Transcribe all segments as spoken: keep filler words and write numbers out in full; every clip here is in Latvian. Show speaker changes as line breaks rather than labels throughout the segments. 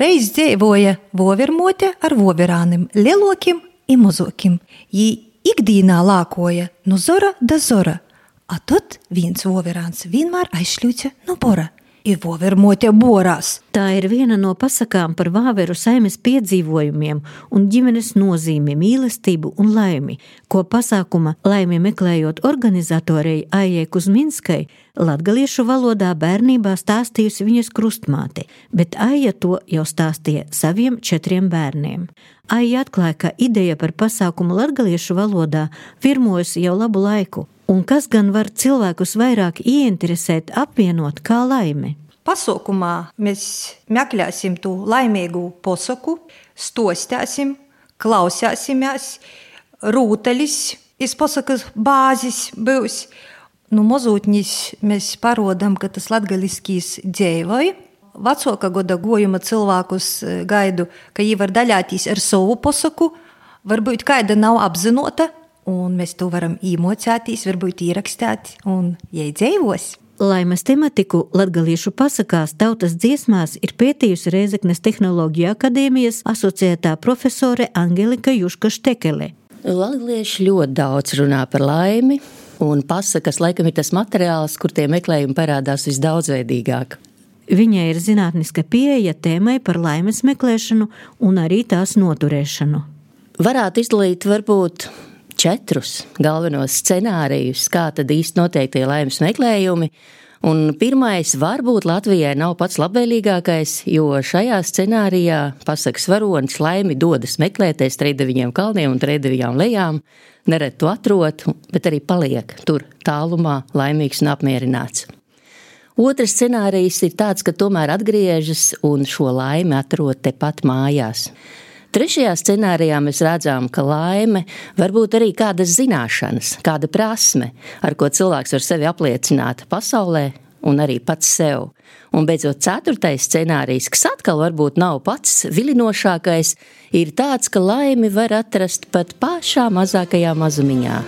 Reiz dzeivoja vovermote ar voverānim, lielokim i mozokim. Jī ikdīnā lākoja no zora da zora, a tot viens voverāns vienmēr aizšļūca no bora. I vovermote borās.
Tā ir viena no pasakām par vāveru saimes piedzīvojumiem un ģimenes nozīmi, mīlestību un laimi, ko pasākuma Laimi meklējot organizatorei Aijai Kuzminskai latgaliešu valodā bērnībā stāstījusi viņas krustmāte, bet Aija to jau stāstīja saviem četriem bērniem. Aija atklāja, ka ideja par pasākumu latgaliešu valodā virmojusi jau labu laiku. Un kas gan var cilvēkus vairāk ieinteresēt, apvienot kā laime?
Pasaukumā mēs meklēsim tu laimīgu posaku, stostēsim, klausēsimies, rūtelis, iz posakas bāzis būs. Nu, mozūtnis mēs parodam, ka tas latgaliskīs dzēvoj. Vecāka goda gojuma cilvēkus gaidu, ka jī var daļātīs ar savu posaku, varbūt kāda nav apzinota, un mēs to varam īmocētīs, varbūt ierakstēt un iedzēvos.
Laimes tematiku latgaliešu pasakās tautas dziesmās ir pētījusi Rēzeknes Tehnoloģiju akadēmijas asociētā profesore Angelika Juška-Štekele.
Latgalieši ļoti daudz runā par laimi, un pasakas laikam ir tas materiāls, kur tie meklējumi parādās visdaudzveidīgāk.
Viņai ir zinātniska pieeja tēmai par laimes meklēšanu un arī tās noturēšanu.
Varētu izdalīt varbūt četrus galvenos scenārijus, kā tad īsti notiek tie laimes meklējumi. Un pirmais varbūt Latvijai nav pats labvēlīgākais, jo šajā scenārijā pasakas varonis laimi dodas meklēties Treideviņiem kalniem un Treideviņām lejām, nereti to atrod, bet arī paliek tur tālumā laimīgs un apmierināts. Otrs scenārijs ir tāds, ka tomēr atgriežas un šo laimi atrod tepat mājās. Trešajā scenārijā mēs redzam, ka laime var būt arī kādas zināšanas, kāda prasme, ar ko cilvēks var sevi apliecināt pasaulē un arī pats sev. Un beidzot ceturtais scenārijs, kas atkal varbūt nav pats vilinošākais, ir tāds, ka laimi var atrast pat pašā mazākajā mazumiņā.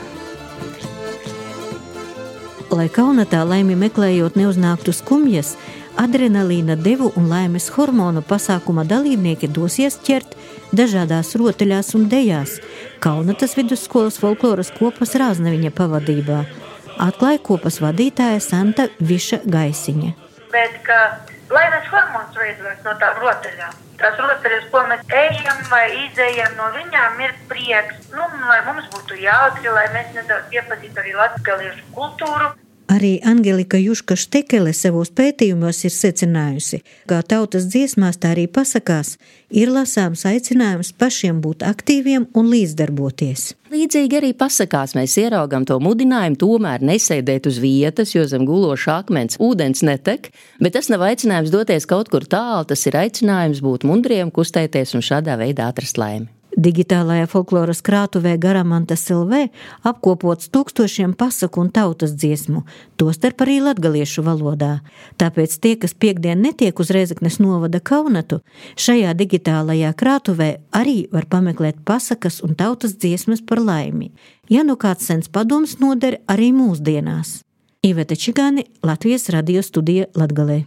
Lai kaunatā laimi meklējot neuznāktu skumjas, adrenalīna devu un laimes hormonu pasākuma dalībnieki dosies ķert dažādās rotaļās un dejās Kaunatas vidusskolas folkloras kopas Rāznaviņa pavadībā. Atklāja kopas vadītāja Santa Viša Gaisiņa.
Bet, ka laimes hormons veidojas no tām rotaļām. Tās rotaļas, ko mēs ejam vai izejam no viņām, ir prieks. Nu, lai mums būtu jautri, lai mēs nedaudz iepazītu arī latgaliešu kultūru.
Arī Angelika Juška-Štekele savos pētījumos ir secinājusi, kā tautas dziesmās, tā arī pasakās, ir lasāms aicinājums pašiem būt aktīviem un līdzdarboties.
Līdzīgi arī pasakās mēs ieraugam to mudinājumu tomēr nesēdēt uz vietas, jo zem guloša akmens ūdens netek, bet tas nav aicinājums doties kaut kur tālu, tas ir aicinājums būt mundriem, kustēties un šādā veidā atrast laimi.
Digitālajā folkloras krātuvē Garamantas L V apkopots tūkstošiem pasaku un tautas dziesmu, tostarp arī latgaliešu valodā. Tāpēc tie, kas piekdien netiek uz Rēzeknes novada Kaunatu, šajā digitālajā krātuvē arī var pameklēt pasakas un tautas dziesmas par laimi. Ja nu kāds sens padoms noder arī mūsdienās. Iveta Čigāni, Latvijas radio studija Latgalē.